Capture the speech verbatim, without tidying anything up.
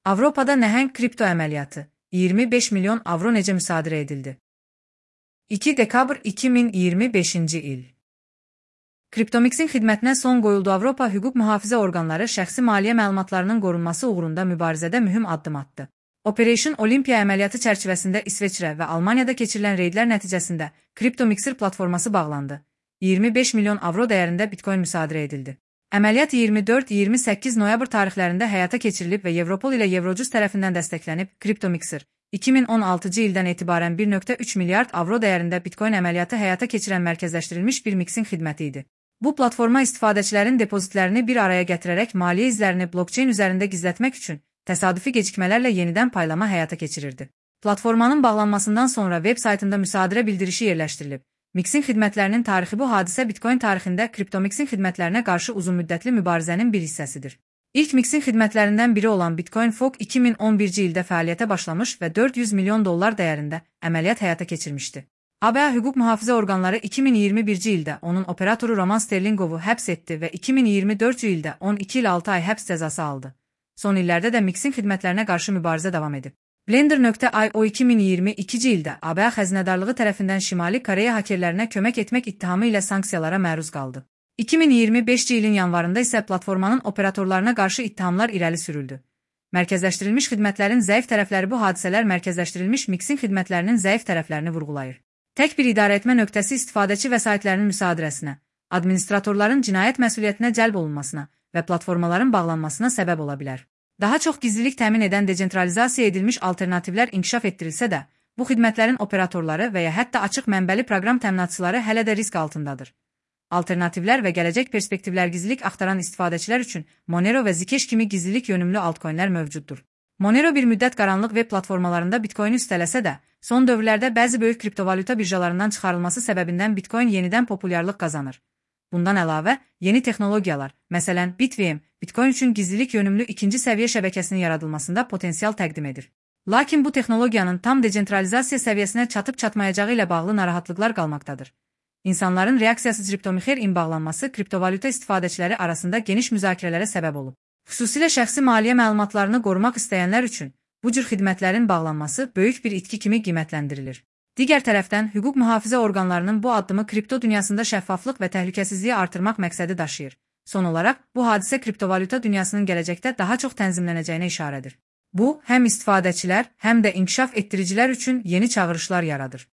Avropada nəhəng kripto əməliyyatı, iyirmi beş milyon avro necə müsadirə edildi? iki dekabr iki min iyirmi beşinci il. Kriptomixin xidmətinə son qoyuldu. Avropa hüquq mühafizə orqanları şəxsi maliyyə məlumatlarının qorunması uğrunda mübarizədə mühüm addım atdı. Operation Olympia əməliyyatı çərçivəsində İsveçrə və Almaniyada keçirilən reydlər nəticəsində Kriptomixer platforması bağlandı. iyirmi beş milyon avro dəyərində bitcoin müsadirə edildi. Əməliyyat iyirmi dörd iyirmi səkkiz noyabr tarixlərində həyata keçirilib və Evropol ilə Eurojust tərəfindən dəstəklənib. Kriptomixer iki min on altıncı ildən etibarən bir nöqtə üç milyard avro dəyərində bitcoin əməliyyatı həyata keçirən mərkəzləşdirilmiş bir mixin xidməti idi. Bu platforma istifadəçilərin depozitlərini bir araya gətirərək maliyyə izlərini blokçeyn üzərində gizlətmək üçün təsadüfi gecikmələrlə yenidən paylama həyata keçirirdi. Platformanın bağlanmasından sonra veb saytında müsadirə bildirişi yerləşdirilib. Mixin xidmətlərinin tarixi. Bu hadisə bitcoin tarixində Kriptomixin xidmətlərinə qarşı uzunmüddətli mübarizənin bir hissəsidir. İlk mixin xidmətlərindən biri olan Bitcoin Fork iki min on birinci ildə fəaliyyətə başlamış və dörd yüz milyon dollar dəyərində əməliyyat həyata keçirmişdi. A B A hüquq mühafizə orqanları iki min iyirmi birinci ildə onun operatoru Roman Sterlingovu həbs etdi və iki min iyirmi dördüncü ildə on iki il altı ay həbs cəzası aldı. Son illərdə də mixin xidmətlərinə qarşı mübarizə davam edib. Blender nöqtə i o iki min iyirmi ikinci ildə A B A xəzinədarlığı tərəfindən Şimali Koreya hakerlərinə kömək etmək ittihamı ilə sanksiyalara məruz qaldı. iki min iyirmi beşinci ilin yanvarında isə platformanın operatorlarına qarşı ittihamlar irəli sürüldü. Mərkəzləşdirilmiş xidmətlərin zəif tərəfləri. Bu hadisələr mərkəzləşdirilmiş mixin xidmətlərinin zəif tərəflərini vurğulayır. Tək bir idarəetmə nöqtəsi istifadəçi vəsaitlərinin müsadirəsinə, administratorların cinayət məsuliyyətinə cəlb olunmasına və platformaların bağlanmasına səbəb ola bilər. Daha çox gizlilik təmin edən desentralizasiya edilmiş alternativlər inkişaf etdirilsə də, bu xidmətlərin operatorları və ya hətta açıq mənbəli proqram təminatçıları hələ də risk altındadır. Alternativlər və gələcək perspektivlər. Gizlilik axtaran istifadəçilər üçün Monero və Zcash kimi gizlilik yönümlü altcoinlər mövcuddur. Monero bir müddət qaranlıq web platformalarında bitcoini üstələsə də, son dövrlərdə bəzi böyük kriptovalyuta birjalarından çıxarılması səbəbindən bitcoin yenidən populyarlıq qazanır. Bundan əlavə, yeni texnologiyalar, məsələn BitVM, bitcoin üçün gizlilik yönümlü ikinci səviyyə şəbəkəsinin yaradılmasında potensial təqdim edir. Lakin bu texnologiyanın tam desentralizasiya səviyyəsinə çatıb-çatmayacağı ilə bağlı narahatlıqlar qalmaqdadır. İnsanların reaksiyasız Kriptomixer-in bağlanması kriptovalyuta istifadəçiləri arasında geniş müzakirələrə səbəb olub. Xüsusilə şəxsi maliyyə məlumatlarını qorumaq istəyənlər üçün bu cür xidmətlərin bağlanması böyük bir itki kimi qiymətləndirilir. Digər tərəfdən, hüquq mühafizə orqanlarının bu addımı kripto dünyasında şəffaflıq və təhlükəsizliyi artırmaq məqsədi daşıyır. Son olaraq, bu hadisə kriptovalyuta dünyasının gələcəkdə daha çox tənzimlənəcəyinə işarədir. Bu, həm istifadəçilər, həm də inkişaf etdiricilər üçün yeni çağırışlar yaradır.